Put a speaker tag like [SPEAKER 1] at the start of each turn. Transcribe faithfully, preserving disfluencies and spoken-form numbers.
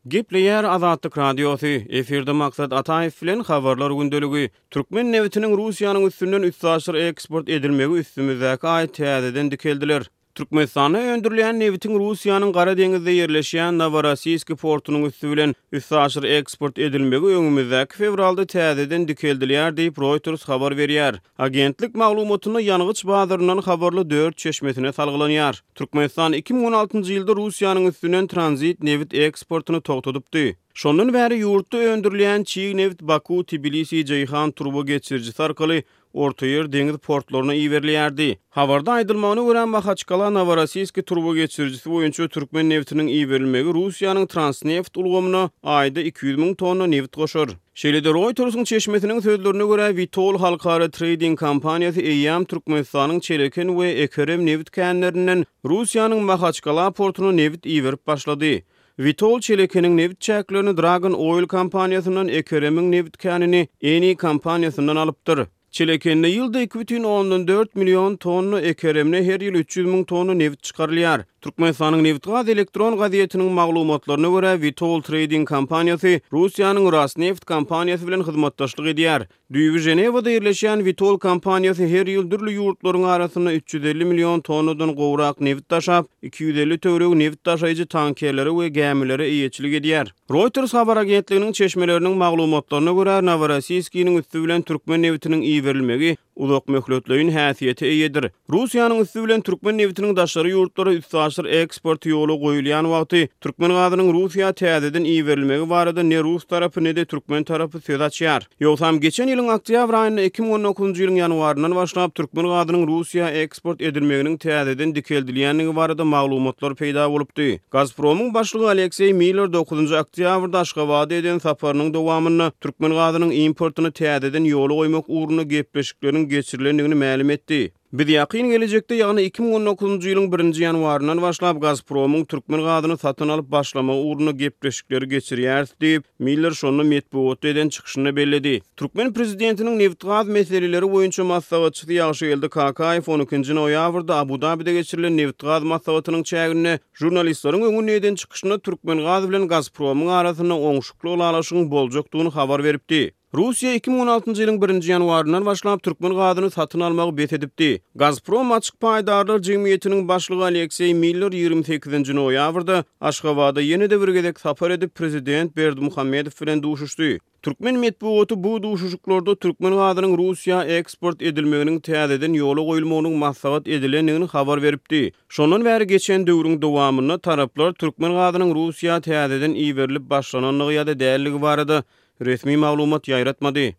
[SPEAKER 1] Gepleýär Azatlyk Radiosy, efirde Maksat Ataýew bilen Habarlar gündeligi. Türkmen nebitiniň Russiýanyň üstünden üstaşyr eksport edilmegi üstümizdäki aý täzeden dikeldiler. Türkmenistanda öndürilýän nebitiň Russiýanyň Gara deňizde ýerleşýän Noworossiýski portunyň üsti bilen üstaşyr eksport edilmegi öňümizdäki fewralda täzeden dikeldilýär diýip, Reuters habar berýär. Agentlik maglumatynda ýangyç bazaryndan habarly dört çeşmesine salgylanýar. Türkmenistan iki müň on altynjy ýylda Russiýanyň üstünden tranzit nebit eksportyny togtadypdy. Şondan bäri ýurtda öndürilýän çig nebit Baku-Tbilisi-Jeýhan turba geçirijisi arkaly Ortaýer deňiz portlaryna iberilýärdi. Habarda aýdylmagyna görä, Mahaçkala-Noworossiýski turba geçirijisi boýunça türkmen nebitiniň iberilmegi Russiýanyň Transneft ulgamyna aýda iki ýüz müň tonna nebit goşar. Şeýle-de Reuters-iň çeşmesiniň sözlerine görä, Vitol halkara treýding kompaniýasy eýýäm Türkmenistanyň Çeleken we Ekerem nebit känlerinden Russiýanyň Mahaçkala portuna nebit iberip başlady. Vitol Çelekeniň nebit çäklerini Dragon Oil kompaniýasyndan, Ekeremiň nebit känini Eni kompaniýasyndan alypdyr. Çelekende ýylda iki bütin ondan dört million tonna, Ekeremde her ýyl üç ýüz müň tonna nebit çykarylýar. Türkmenistanyň Nebitgaz elektron gazetiniň maglumatlaryna görä, Vitol Trading kompaniýasy Russiýanyň Rosneft kompaniýasy bilen hyzmatdaşlyk edýär. Düýbi Ženewada ýerleşýän Vitol kompaniýasy her ýyl dürli ýurtlaryň arasynda üç ýüz elli million tonnadan gowrak nebit daşap, iki ýüz elli töweregi nebit daşaýjy tankerlere we gämilere eýeçilik edýär. Reuters habar agentliginiň çeşmeleriniň maglumatlaryna görä, Noworossiýskiniň üsti bilen türkmen nebitiniň iberilmegi uzakmöhletleýin häsiýete eýedir. Russiýanyň üsti bilen türkmen nebitiniň daşary ýurtlara üstaşyr eksporty ýola goýulýan wagty türkmen gazynyň Russiýa täzeden iberilmegi barada ne rus tarapy, ne-de türkmen tarapy söz açýar. Ýogsam geçen ýylyň oktýabr aýynda iki müň on dokuzynjy ýylyň ýanwaryndan başlap türkmen gazynyň Russiýa eksport edilmeginiň täzeden dikeldilýändigi barada maglumatlar peýda bolupdy. Gazpromyň başlygy Alekseý Miller dokuzynjy oktýabrda Aşgabada eden saparynyň dowamynda türkmen gazynyň importyny täzeden ýola goýmak ugrunda gepleşikleriň geçirilendigini mälim etdi. Biz ýakyn gelejekde, ýagny iki müň on dokuzynjy ýylyň birinji ýanwaryndan başlap Gazpromyň türkmen gazyny satyn alyp başlamagy ugrunda gepleşikleri geçirýäris diýip, Miller şonda metbugatda eden çykyşynda belledi. Türkmen prezidentiniň nebitgaz meseleleri boýunça maslahatçysy Ýagşygeldi Kakaýew on ikinji noýabrda Abu-Dabide geçirilen nebitgaz maslahatynyň çäginde žurnalistleriň öňünde eden çykyşynda Türkmengaz bilen Gazpromyň arasynda oňşukly ylalaşygyň boljakdygyny habar beripdi. Russiýa iki müň on altynjy ýylyň birinji ýanwaryndan başlap türkmen gazyny satyn almagy bes edipdi. Gazprom açyk paýdarlar jemgyýetiniň başlygy Alekseý Miller ýigrimi sekizinji noýabrda Aşgabada ýene-de bir gezek sapar edip, prezident Berdimuhamedow bilen duşuşdy. Türkmen metbugaty bu duşuşyklarda türkmen gazynyň Russiýa eksport edilmeginiň täzeden ýola goýulmagynyň maslahat edilendigini habar beripdi. Şondan bäri geçen döwrüň dowamynda taraplar türkmen gazynyň Russiýa täzeden iberilip başlanandygy ýa-da däldigi barada resmi maglumat ýaýratmady.